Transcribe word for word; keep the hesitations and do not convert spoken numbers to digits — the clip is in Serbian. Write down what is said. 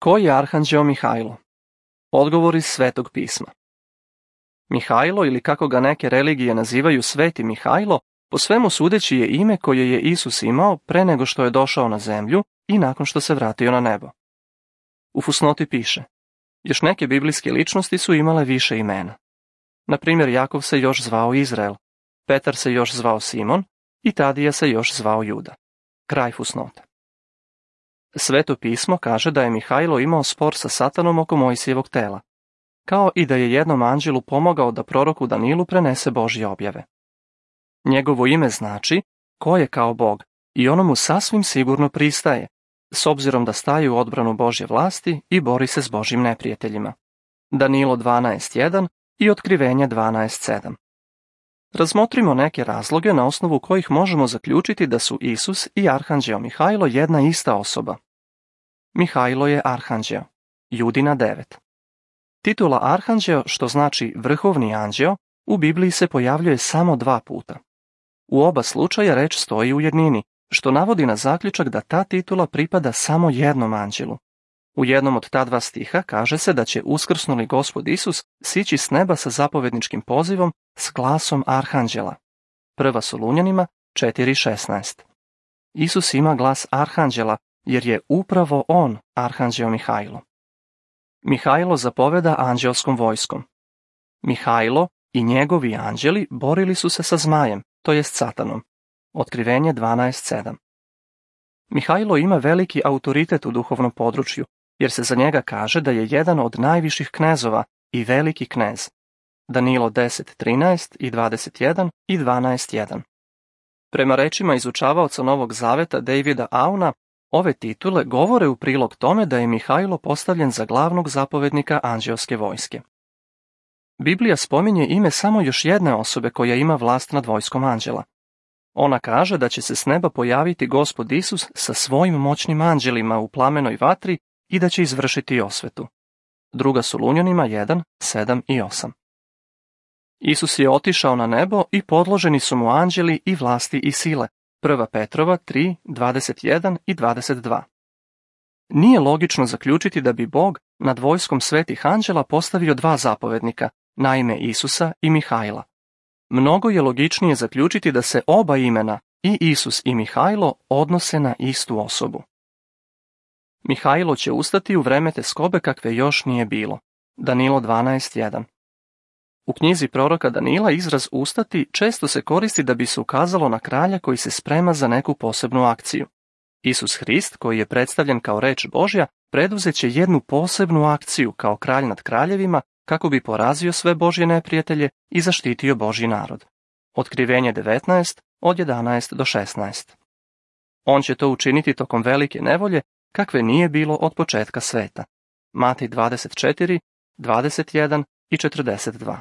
Ko je arhanđeo Mihajlo? Odgovor iz Svetog pisma. Mihajlo, ili kako ga neke religije nazivaju Sveti Mihajlo, po svemu sudeći je ime koje je Isus imao pre nego što je došao na zemlju i nakon što se vratio na nebo. U fusnoti piše: još neke biblijske ličnosti su imale više imena. Na primjer, Jakov se još zvao Izrael, Petar se još zvao Simon i Tadija se još zvao Juda. Kraj fusnote. Sveto pismo kaže da je Mihajlo imao spor sa Satanom oko Mojsijevog tela, kao i da je jednom anđelu pomogao da proroku Danilu prenese Božje objave. Njegovo ime znači ko je kao Bog i ono mu sasvim sigurno pristaje, s obzirom da staje u odbranu Božje vlasti i bori se s Božjim neprijateljima. Danilo dvanaest jedan i Otkrivenje dvanaest sedam. Razmotrimo neke razloge na osnovu kojih možemo zaključiti da su Isus i arhanđeo Mihajlo jedna ista osoba. Mihajlo je arhanđeo, Judina devet. Titula arhanđeo, što znači vrhovni anđeo, u Bibliji se pojavljuje samo dva puta. U oba slučaja reč stoji u jednini, što navodi na zaključak da ta titula pripada samo jednom anđelu. U jednom od ta dva stiha kaže se da će uskrsnuli Gospod Isus sići s neba sa zapovedničkim pozivom s glasom arhanđela. Prva Solunjanima četiri šesnaest. Isus ima glas arhanđela jer je upravo on arhanđeo Mihajlo. Mihajlo zapoveda anđelskom vojskom. Mihajlo i njegovi anđeli borili su se sa zmajem, to jest Satanom. Otkrivenje dvanaest sedam. Mihajlo ima veliki autoritet u duhovnom području, jer se za njega kaže da je jedan od najviših knezova i veliki knez. Danilo deset trinaest i dvadeset jedan i dvanaest jedan. Prema rečima izučavaoca Novog zaveta Davida Auna, ove titule govore u prilog tome da je Mihajlo postavljen za glavnog zapovednika anđeoske vojske. Biblija spominje ime samo još jedne osobe koja ima vlast nad vojskom anđela. Ona kaže da će se s neba pojaviti Gospod Isus sa svojim moćnim anđelima u plamenoj vatri i da će izvršiti osvetu. Druga Solunjanima jedan, sedam i osam. Isus je otišao na nebo i podloženi su mu anđeli i vlasti i sile. Prva Petrova tri, dvadeset jedan i dvadeset dva. Nije logično zaključiti da bi Bog nad vojskom svetih anđela postavio dva zapovednika, na ime Isusa i Mihajla. Mnogo je logičnije zaključiti da se oba imena, i Isus i Mihajlo, odnose na istu osobu. Mihajlo će ustati u vreme teskobe kakve još nije bilo. Danilo dvanaest jedan. U knjizi proroka Danila izraz ustati često se koristi da bi se ukazalo na kralja koji se sprema za neku posebnu akciju. Isus Hrist, koji je predstavljen kao reč Božja, preduzet će jednu posebnu akciju kao kralj nad kraljevima kako bi porazio sve Božje neprijatelje i zaštitio Božji narod. Otkrivenje devetnaest od jedanaest do šesnaest. On će to učiniti tokom velike nevolje kakve nije bilo od početka sveta. Matej dvadeset četiri, dvadeset jedan i četrdeset dva.